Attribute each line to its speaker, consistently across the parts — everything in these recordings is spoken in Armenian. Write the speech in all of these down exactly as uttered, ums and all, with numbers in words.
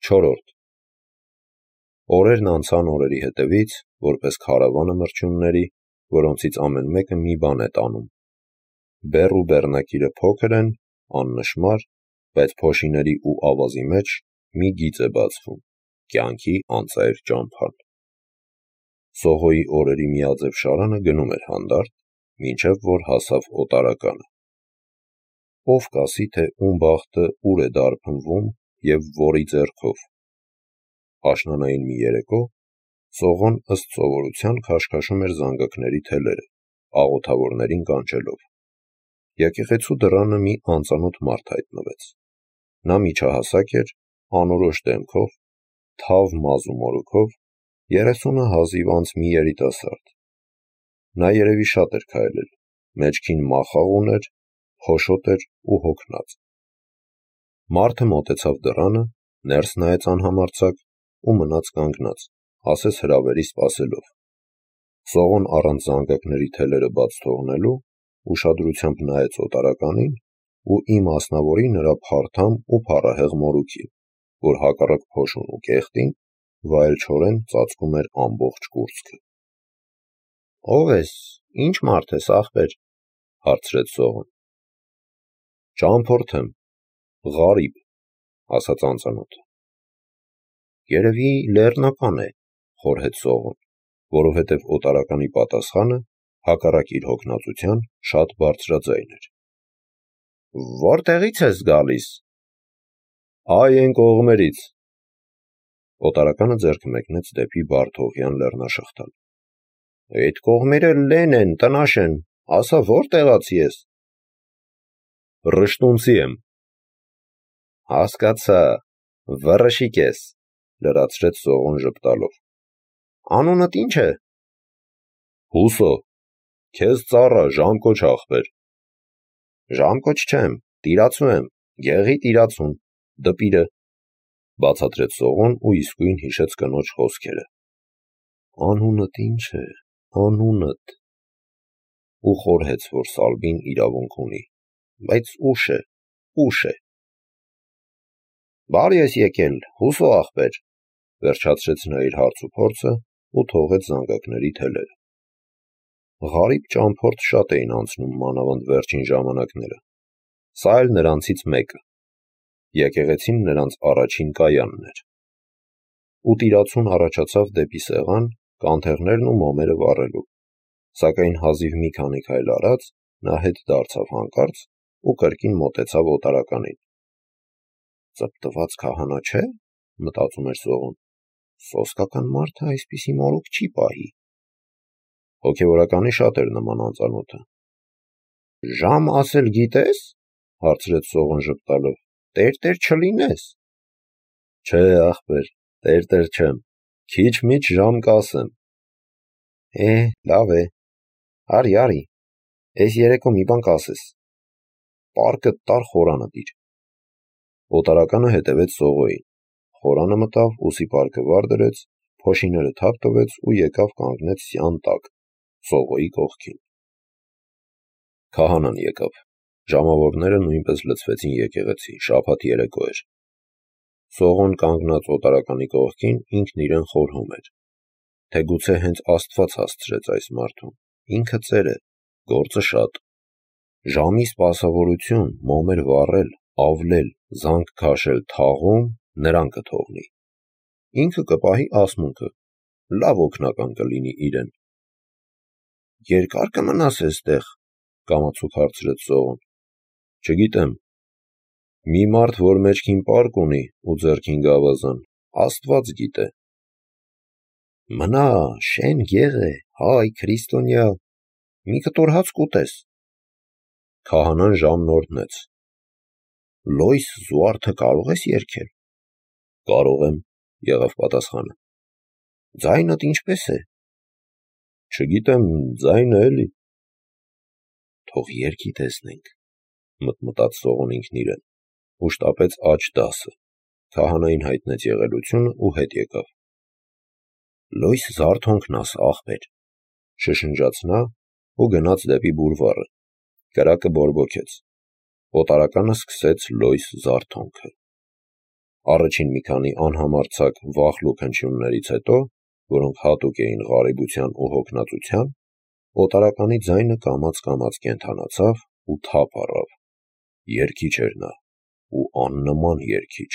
Speaker 1: Չորրորդ Օրերն անցան օրերի հետևից, որպես քարավանը մրջյունների, որոնցից ամեն մեկը մի բան է տանում։ Բեռ ու բեռնակիրը փոքր են, աննշմար, բայց փոշիների ու ավազի մեջ մի գիծ է բացվում, կյանքի անծայր ճամփան։ Սողոյի օրերի միաձև շարանը գնում էր հանդարտ, մինչև որ հասավ օտարականը։ Ով կասի, թե ում բախտը ուր է դարբնվում և որի ձեռքով։ Աշնանային մի երեկո Սողոն ըստ սովորության քաշքաշում էր զանգակների թելերը, աղոթավորներին կանչելով։ Եկեղեցու դռանը մի անծանոթ մարդ հայտնվեց։ Նա միջահասակ էր, անորոշ դեմքով, թավ մազ ու մորուքով, երեսունը հազիվ անց մի երիտասարդ։ Նա երևի շատ էր քայլել, մեջքին մախաղ ուներ, փոշոտ էր ու հոգնած։ Մարդը մոտեցավ դռանը, ներս նայեց անհամարձակ ու մնաց կանգնած, ասես հրավերի սպասելով։ Սողոն առանց զանգակների թելերը բաց թողնելու, ուշադրությամբ նայեց օտարականին ու իմասնավորի նրա փարթամ ու փառահեղ մորուքին, որ հակառակ փոշուն ու կեղտին վայելչորեն ծածկում էր ամբողջ կուրծքը։ Ո՞վ ես, ի՞նչ մարդ ես, ախպեր, հարցրեց Սողոն։ Ճամփորդ եմ, Ղարիբ, ասաց անծանոթը։ Երևի լեռնական է, խորհեց Սողոն, որովհետև օտարականի պատասխանը, հակառակ իր հոգնածության, շատ բարձրաձայն էր։ Որտեղից ես գալիս։ Այ այն կողմերից։ Օտարականը ձեռքը մեկնեց դեպի Բարդողյան լեռնաշղթան։ Այդ կողմերը լեն են, տնաշ են, ասա որտեղացի ես։ Ռշտունցի եմ։ Հասկացա, վռշիկ ես, լրացրեց Սողոն ժպտալով։ Անունդ ի՞նչ է։ Հուսո, քեզ ծառա, ժամկոչ ախպեր։ Ժամկոչ չեմ, տիրացու եմ, գեղի տիրացուն, դպիրը, բացատրեց Սողոն ու իսկույն հիշեց կնոջ խոսքերը։ Անունդ ի՞նչ է, անունդ։ Ու խորհեց, որ Սալվին իրավունք ունի, բայց ուշ է, ուշ է։ Բարի ես եկել, Հուսո ախպեր, վերջացրեց նա իր հարց ու փորձը ու թողեց զանգակների թելերը։ Ղարիբ ճամփորդ շատ էին անցնում մանավանդ վերջին ժամանակները։ Սա էլ նրանցից մեկը։ Եկեղեցին նրանց առաջին կայանն էր։ Ու տիրացուն առաջացավ դեպի սեղան, կանթեղներն ու մոմերը վառելու, սակայն հազիվ մի քանի քայլ արած նա հետ դարձավ հանկարծ ու կրկին մոտեցավ օտարականին։ Ծպտված քահանա չէ, մտածում էր Սողոն, սոսկական մարդը այսպիսի մորուք չի պահի։ Հոգևորականի շատ էր նման անծանոթը։ Ժամ ասել գիտես, հարցրեց Սողոն ժպտալով, տեր-տեր չլինես։ Չէ, ախպեր, տեր-տեր չեմ, քիչ-միչ ժամ կասեմ։ Է, լավ է, արի, արի, էս երեկո մի բան կասես։ Պարկդ տար խորանը դիր։ Օտարականը հետևեց Սողոյին, խորանը մտավ, ուսի պարկը վար դրեց, փոշիները թափ տվեց ու եկավ կանգնեց սյան տակ, Սողոյի կողքին։ Քահանան եկավ, ժամավորները նույնպես լցվեցին եկեղեցի, շաբաթ երեկո էր։ Սողոն կանգնած օտարականի կողքին ինքն իրեն խորհում էր, թե գուցե հենց Աստված հասցրեց այս մարդուն, ինքը ծեր է, գործը շատ։ Ժամի սպասավորություն, մոմեր վառել, ավլել, զանգ քաշել թաղում նրան կթողնի։ Ինքը կպահի ասմունքը, լավ օգնական կլինի իրեն։ Երկա՞ր կմնաս էստեղ, կամացուկ հարցրեց Սողոն։ Չգիտեմ։ Մի մարդ, որ մեջքին պարկ ունի ու ձեռքին գավազան, Աստված գիտե։ Մնա, շեն գեղ է, հայ, քրիստոնյա, մի կտոր հաց կուտես։ Քահանան ժամն օրհնեց։ Լոյս զուարթը կարող ես երգել։ Կարող եմ, եղավ պատասխանը։ Ձայնդ ինչպես է։ Չգիտեմ, ձայնը էլի։ Թող երգի տեսնենք, մտմտաց Սողոն ինքն իրեն, ու շտապեց աջ դասը, քահանային հայտնեց եղելությունը ու հետ եկավ։ Լոյս զարթոնքն ասա, ախպեր, շշնջաց նա ու գնաց դեպի բուրվառը, կրակը բորբոքեց։ Օտարականը սկսեց լոյս զարթոնքը։ Առաջին մի քանի անհամարձակ վախլուկ հնչյուններից հետո, որոնք հատուկ էին ղարիբության ու հոգնածության, օտարականի ձայնը կամաց-կամաց կենդանացավ ու թափ առավ։ Երգիչ էր նա, ու աննման երգիչ։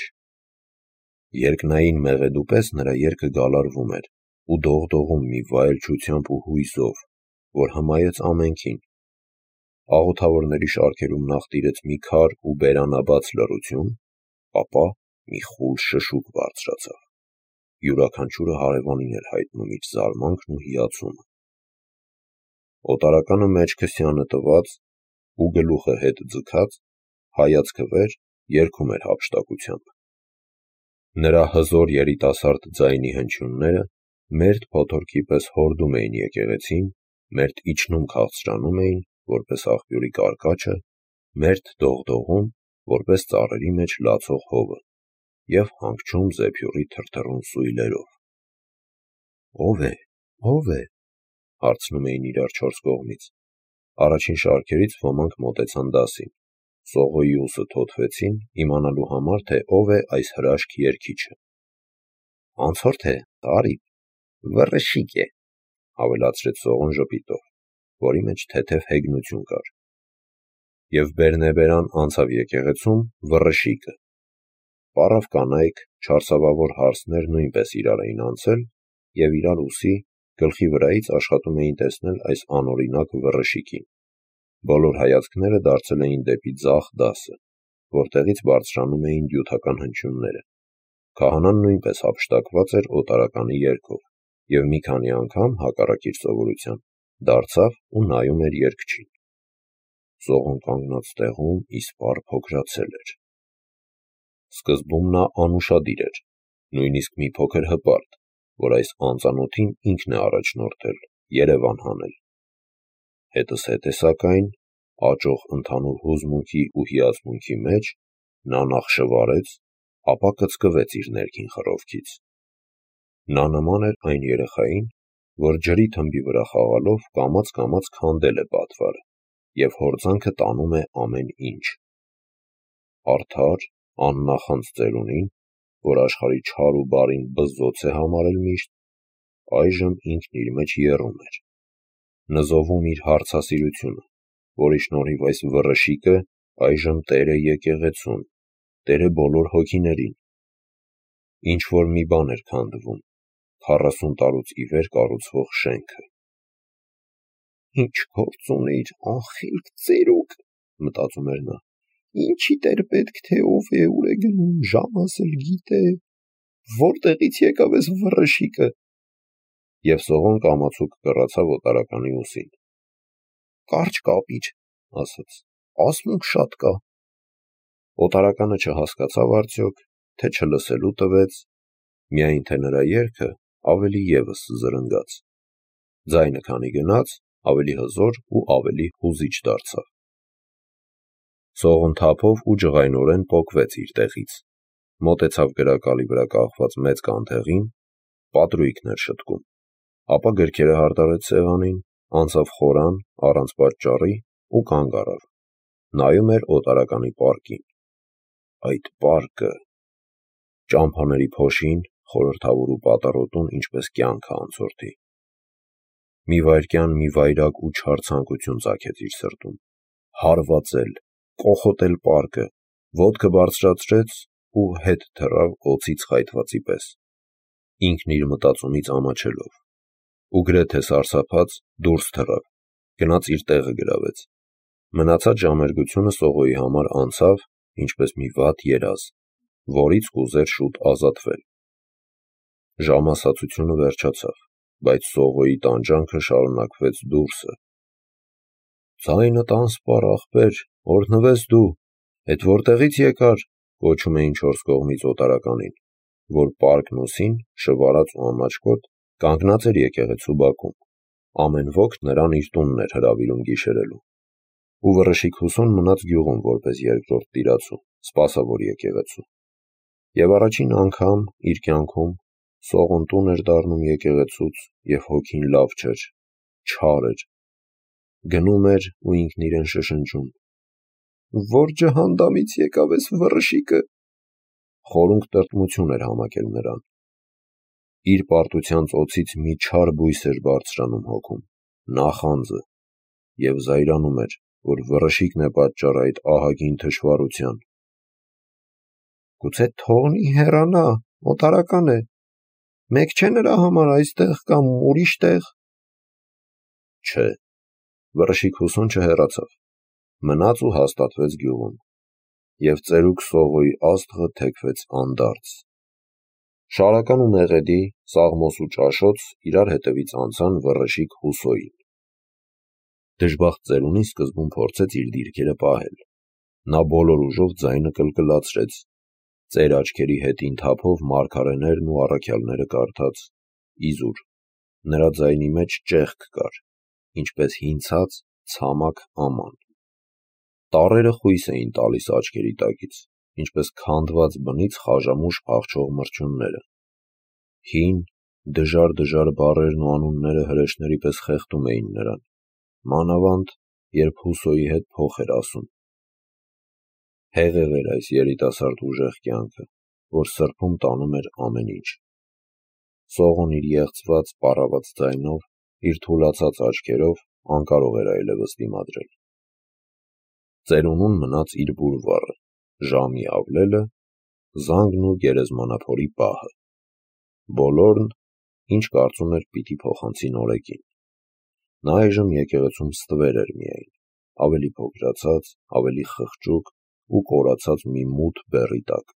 Speaker 1: Երկնային մեղեդու պես նրա երգը գալարվում էր ու դողդողում մի վայելչությամբ ու հույզով, որ հմայեց ամենքին։ Աղոթավորների շարքերում նախ տիրեց մի քար ու բերանաբաց լռություն, ապա մի խուլ շշուկ բարձրացավ։ Յուրաքանչյուրը հարևանին էր հայտնում իր զարմանքն ու հիացումը։ Օտարականը մեջքը սյանը տված ու գլուխը հետ ձգած, հայացքը վեր, երգում էր հափշտակությամբ։ Նրա հզոր երիտասարդ ձայնի հնչյունները մերթ փոթորկի պես հորդում էին եկեղեցին, մերթ իջնում քաղցրանում էին, որպես աղբյուրի կարկաչը, մերթ դողդողում, որպես ծառերի մեջ լացող հովը, և հանգչում զեփյուռի թրթռուն սույլերով։ «Ո՞վ է, ո՞վ է», հարցնում էին իրար չորս կողմից։ Առաջին շարքերից ոմանք մոտեցան դասին, Սողոյի ուսը թոթվեցին, իմանալու համար, թե ով է այս հրաշք երգիչը։ «Անցորդ է, Տարիբ, վռշիկ է», ավելացրեց Սողոն ժպիտով, որի մեջ թեթև հեգնություն կար։ Եվ բերնեբերան անցավ եկեղեցում վռշիկը։ Պառավ կանայք, չարսավավոր հարսներ նույնպես իրար էին անցել և իրար ուսի, գլխի վրայից աշխատում էին տեսնել այս անօրինակ վռշիկին։ Բոլոր հայացքները դարձել էին դեպի ձախ դասը, որտեղից բարձրանում էին դյութական հնչյունները։ Քահանան նույնպես հափշտակված էր օտարականի երգով և մի քանի անգամ, հակառակ իր սովորության, դարձավ ու նայում էր երգչին։ Սողոն կանգնած տեղում իսպառ փոքրացել էր։ Սկզբում նա անուշադիր էր, նույնիսկ մի փոքր հպարտ, որ այս անծանոթին ինքն է առաջնորդել, երևան հանել։ Հետզհետե սակայն, աճող ընդհանուր հուզմունքի ու հիացմունքի մեջ, նա նախ շվարեց, ապա կծկվեց իր ներքին խռովքից։ Նա նման էր այն երեխային, որ ջրի թմբի վրա խաղալով կամաց-կամաց քանդել է պատվարը և հորձանքը տանում է ամեն ինչ։ Արդար, աննախանձ ծերունին, որ աշխարհի չար ու բարին բզզոց է համարել միշտ, այժմ ինքն իր մեջ եռում էր, նզովում իր հարցասիրությունը, որի շնորհիվ այս վռշիկը այժմ տեր է եկեղեցուն, տեր է բոլոր հոգիներին։ Ինչ-որ մի բան էր քանդվում, քառասուն տարուց ի վեր կառուցվող շենքը։ «Ինչ գործ ունիր, անխիլք ծերուկ», մտածում էր նա, «ինչիդ էր պետք, թե ով է, ուր է գնում, ժամս էլ գիտե, որտեղից եկավ էս վռշիկը»։ Եվ Սողոն կամացուկ կռացավ օտարականի ուսին։ «Կարճ կապիր», ասաց, «ասմունք շատ կա»։ Օտարականը չհասկացավ արդյոք, թե չլսելու տվեց, միայն թե նրա երգը ավելի ևս զրնգաց։ Ձայնը քանի գնաց, ավելի հզոր ու ավելի հուզիչ դարձավ։ Սողոն թափով ու ջղայնորեն պոկվեց իր տեղից, մոտեցավ գրակալի վրա կախված մեծ կանթեղին, պատրույգն էր շտկում, ապա գրքերը հարդարեց սեղանին, անցավ խորան, առանց պատճառի ու կանգ առավ, նայում էր օտարականի պարկին։ Այդ պարկը… ճամփաների փոշին, խորհրդավոր ու պատառոտուն, ինչպես կյանքը անցորդի։ Մի վայրկյան մի վայրագ ու չար ցանկություն ծագեց իր սրտում։ Հարվածել, կոխոտել պարկը, ոտքը բարձրացրեց ու հետ թռավ օձից խայթվածի պես, ինքն իր մտածումից ամաչելով, ու գրեթե սարսափած դուրս թռավ, գնաց իր տեղը գրավեց։ Մնացած ժամերգությունը Սողոյի համար անցավ, ինչպես մի վատ երազ, որից կուզեր շուտ ազատվել։ Ժամասացությունը վերջացավ, բայց Սողոյի տանջանքը շարունակվեց դուրսը։ «Ձայնդ անսպառ, ախպեր, օրհնվես դու, էդ որտեղից եկար», կոչում էին չորս կողմից օտարականին, որ պարկն ուսին, շվարած ու ամաչկոտ, կանգնած էր եկեղեցու բակում, ամեն ոք նրան իր տունն էր հրավիրում գիշերելու։ Ու վռշիկ Հուսոն մնաց գյուղում որպես երկրորդ տիրացու, սպասավոր եկեղեցու։ Եվ առաջին անգամ իր կյանքում Սողոն տուն էր դառնում եկեղեցուց, և հոգին լավ չէր, չար էր։ Գնում էր ու ինքն իրեն շշնջում. «Որ ջհանդամից եկավ էս վռշիկը»։ խորունկ տրտմություն էր համակել նրան։ Իր պարտության ծոցից մի չար բույս էր բարձրանում հոգում, նախանձը, և զայրանում էր, որ վրշիկն է պատճառ այդ ահագին թշվառության։ Գուցե թողնի հեռանա, օտարական է, մեկ չէ նրա համար այստեղ կամ ուրիշ տեղ։ Չէ, վրշիկ Հուսոն չհեռացավ, մնաց ու հաստատվեց գյուղում, և ծերուկ Սողոյի աստղը թեքվեց անդարձ։ Շարական ու Մեղեդի, Սաղմոս ու Ճաշոց իրար հետևից անցան վրշիկ Հուսոյին։ Դժբախտ ծերունին սկզբում փորձեց իր դիրքերը պահել։ Նա բոլոր ուժով ձայնը կլկլացրեց, ծեր աչքերի հետին թափով մարգարեներն ու առաքյալները կարդաց, իզուր, նրա ձայնի մեջ ճեղք կար, ինչպես հինցած ցամաք աման։ Տառերը խույս էին տալիս աչքերի տակից, ինչպես քանդված բնից խաժամուշ փախչող մրջյունները։ Հին, դժար-դժար բառերն ու անունները հրեշների պես խեղդում էին նրան, մանավանդ, երբ Հուսոյի հետ փոխ էր ասում։ Հեղեղ էր այս երիտասարդ ուժեղ կյանքը, որ սրբում տանում էր ամեն ինչ։ Սողոն իր եղծված, պառաված ձայնով, իր թուլացած աչքերով անկարող էր այլևս դիմադրել։ Ծերունուն մնաց իր բուլվարը, ժամի ավլելը, զանգն ու գերեզմանափորի պահը։ Բոլորն, ինչ կարծում էր, պիտի փոխանցի նորեկին։ Նա այժմ եկեղեցում ստվեր էր միայն, ավելի փոքրացած, ավելի խղճուկ ու կորացած մի մութ բեռի տակ։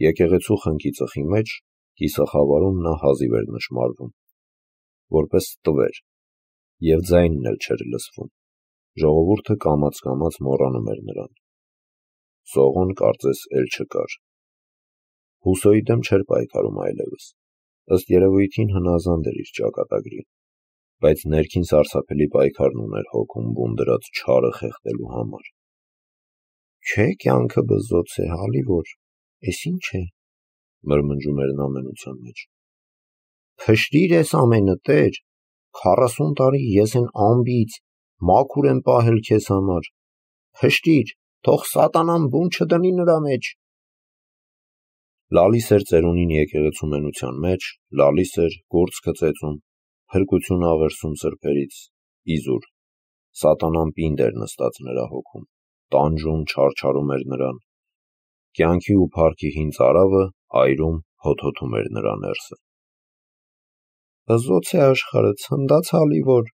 Speaker 1: Եկեղեցու խնկի ծխի մեջ, կիսախավարում նա հազիվ էր նշմարվում, որպես ստվեր, և ձայնն էլ չէր լսվում, ժողովուրդը կամաց-կամաց մոռանում էր նրան։ Սողոն կարծես էլ չկար։ Հուսոյի դեմ չէր պայքարում այլևս, ըստ երևույթին հնազանդ էր իր ճակատագրին, բայց ներքին սարսափելի պայքարն ուներ հոգում բուն դրած չարը խեղդելու համար։ Չէ, կյանքը բզոց է, հալի որ, էս ինչ է, մրմնջում էր նա մենության մեջ։ Փշրիր էս ամենը, Տեր, քառասուն տարի ես են ամբից, մաքուր եմ պահել քեզ համար, փշրիր, թող սատանան բուն չդնի նրա մեջ։ Լալիս էր ծերունին եկեղեցու մենության մեջ, լալիս էր, կուրծքը ծեծում, փրկություն աղերսում սրբերից, իզուր, սատանան պինդ էր նստած նրա հոգում, տանջում, չարչարում էր նրան, կյանքի ու փառքի հին ծարավը այրում, հոթոթում էր նրա ներսը։ Բզոց է աշխարհը, ցնդաց հալի որ,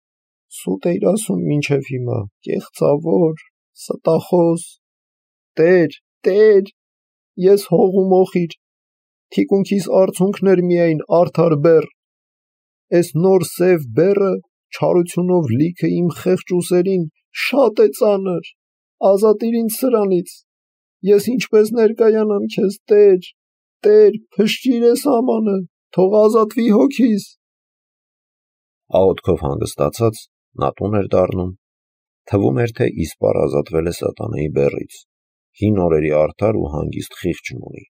Speaker 1: սուտ էիր ասում մինչև հիմա, կեղծավոր, ստախոս, Տեր, Տեր, ես հող ու մոխիր, թիկունքիս արցունքներ միայն արդար բեռ, էս նոր սև բեռը չարությունով լիքը իմ խեղճ ուսերին շատ է ծանր, ազատիր ինձ սրանից, ես ինչպես ներկայանամ քեզ, Տեր, Տեր, փշրիր էս ամանը, թող ազատվի հոգիս։ Աղոթքով հանգստացած նա տուն էր դառնում, թվում էր, թե իսպառ ազատվել է սատանայի բեռից, հին օրերի արդար ու հանգիստ խիղճն ունի։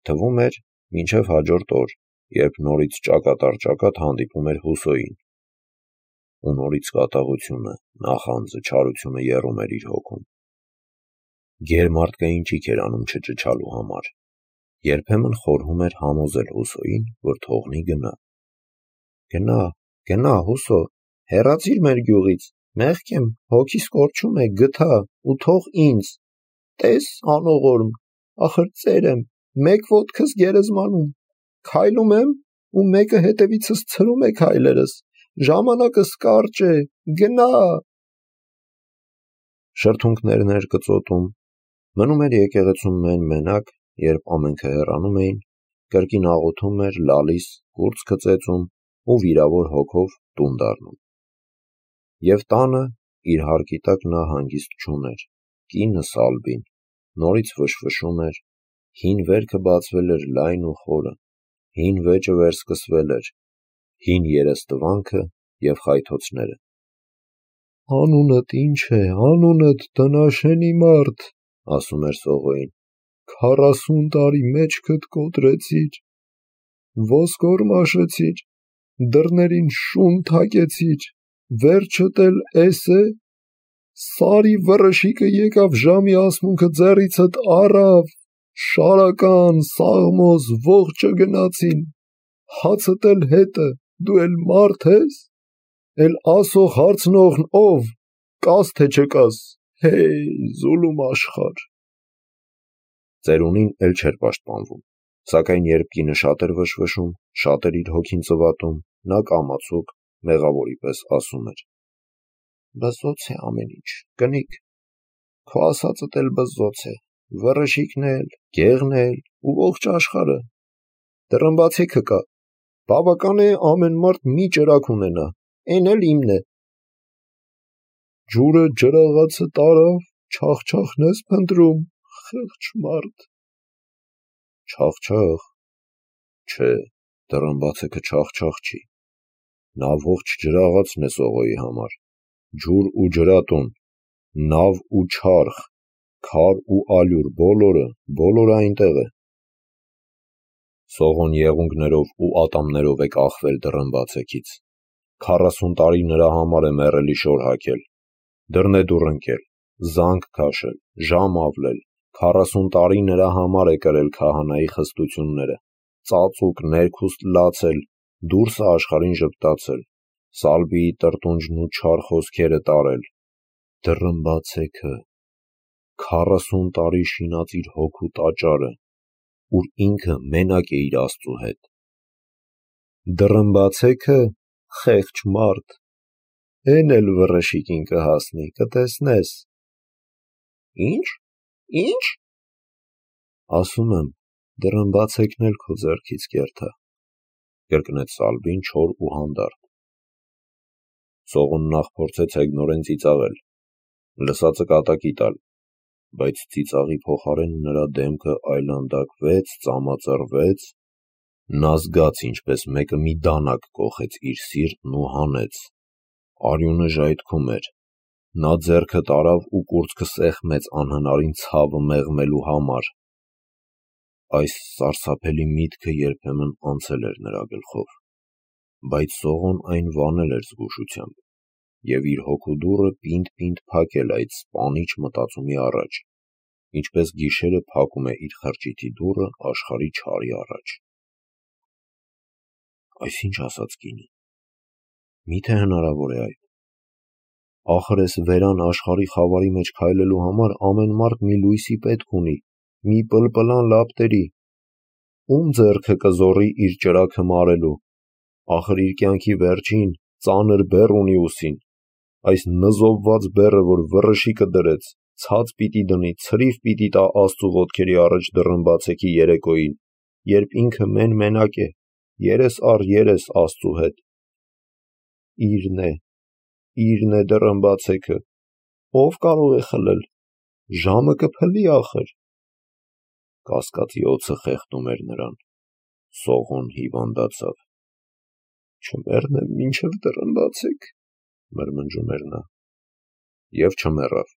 Speaker 1: Թվում էր, մինչև հաջորդ օր, երբ նորից ճակատ առ ճակատ հանդիպում էր Հուսոյին։ Ու նորից կատաղությունը, նախանձը, չարությունը եռում էր իր հոգում։ Գերմարդկային ճիգ էր անում չճչալու համար։ Երբեմն խորհում էր համոզել Հուսոյին, որ թողնի գնա։ Գնա, գնա, Հուսո, հեռացիր մեր գյուղից, մեղք եմ, հոգիս կորչում է, գթա ու թող ինձ, տես անողորմ, ախր ծեր եմ, մեկ ոտքս գերեզմանում, քայլում եմ ու մեկը հետևիցս ցրում է քայլերս, ժամանակս կարճ է, գնա։ Շրթունքներն էր կծոտում, մնում էր եկեղեցում մեն-մենակ, երբ ամենքը հեռանում էին, կրկին աղոթում էր, լալիս, կուրծքը ծեծում ու վիրավոր հոգով տուն դառնում։ Եվ տանը իր հարկի տակ նա հանգիստ չուներ, կինը Սալբին նորից ֆշֆշում էր, հին վերքը բացվել էր լայն ու խորը, հին վեճը վերսկսվել էր, հին երեստվանքը և խայթոցները։ Անունդ ինչ է, անունդ տնաշենի մարդ, ասում էր Սողոյին, քառասուն տարի մեջքդ կոտրեցիր, ոսկոր մաշեցիր, դռներին շուն թակեցիր, վերջդ էլ էս է, սարի վրշիկը եկավ ժամի ասմունքը ձեռիցդ առավ,
Speaker 2: Շարական, Սաղմոս, ողջը գնացին, հացդ էլ հետը, դու էլ մարդ ես, էլ ասող հարցնողն ով, կաս թե չկաս, հեյ, զուլում աշխար։
Speaker 1: Ծերունին էլ չէր պաշտպանվում, սակայն երբ կինը շատ էր վշվշում, շատ էր իր հոգին ծվատում, նա կամացուկ, մեղավորի պես ասում էր. բզոց է ամեն ինչ, կնիկ, քո ասածդ էլ բզոց է, վռշիկն էլ, գեղն էլ ու ողջ աշխարը, դռնբացիքը կա, բավական է ամեն մարդ մի ճրագ ունենա, էն էլ իմն է։ Ջուրը ջրաղացը տարավ, չախչախն ես փնտրում, խեղճ մարդ։ Չախչախ, չէ, դռնբացիքը չախչախ չի, նա ողջ ջրաղացն է Սողոյի համար, ջուր ու ջրատուն, նավ ու չարխ, քար ու ալյուր, բոլորը, բոլորը այնտեղ է։ Սողոն եղունգներով ու ատամներով է կախվել դռնբացեքից, քառասուն տարի նրա համար է մեռելի շոր հագել, դռնեդուռ ընկել, զանգ քաշել, ժամ ավլել, քառասուն տարի նրա համար է կրել քահանայի խստությունները, ծածուկ ներքուստ լացել, դուրսը աշխարհին ժպտացել, Սալվիի տրտունջն ու չար խոսքերը տարել, դռնբացեքը, քառասուն տարի շինած իր հոգու տաճարը, ուր ինքը մենակ է իր Աստծու հետ։ Դռնբացեքը, խեղճ մարդ, էն էլ վռշիկին կհասնի, կտեսնես։ Ինչ, ինչ, ասում եմ, դռնբացեքն էլ քո ձեռքից կերթա, կրկնեց Սալվին չոր ու հանդարտ։ Սողոն նախ փորձեց հեգնորեն ծիծաղել, լսածը կատակի տալ, բայց ծիծաղի փոխարեն նրա դեմքը այլանդակվեց, ծամածռվեց, նա զգաց ինչպես մեկը մի դանակ կոխեց իր սիրտն ու հանեց, արյունը ժայթքում էր, նա ձեռքը տարավ ու կուրծքը սեղմեց անհնարին ցավը մեղմելու համար։ Այս սարսափելի միտքը երբեմն անցել էր նրա գլխով, բայց Սողոն այն վանել էր զգուշությամբ և իր հոգու դուռը պինդ-պինդ փակել այդ սպանիչ մտածումի առաջ, ինչպես գիշերը փակում է իր խրճիթի դուռը աշխարհի չարի առաջ։ Այս ինչ ասաց կինը, միթե հնարավոր է այդ։ Ախր էս վերան աշխարհի խավարի մեջ քայլելու համար ամեն մարդ մի լույսի պետք ունի, մի պլպլան լապտերի, ում ձեռքը կզոռի իր ճրագը մարելու, ախր իր կյանքի վերջին ծանր բեռ ունի ուսին, այս նզովված բեռը, որ վռշիկը դրեց, ցած պիտի դնի, ցրիվ պիտի տա Աստծու ոտքերի առաջ դռնբացեքի երեկոյին, երբ ինքը մեն-մենակ է, երես առ երես Աստծու հետ։ Իրն է, իրն է դռնբացեքը, ով կարող է խլել, ժամը կփլի ախր։ Կասկածի օձը խեղդում էր նրան, Սողոն հիվանդացավ։ Չմեռնեմ մինչև դռնբացեք, մրմնջում էր նա, և չմեռավ։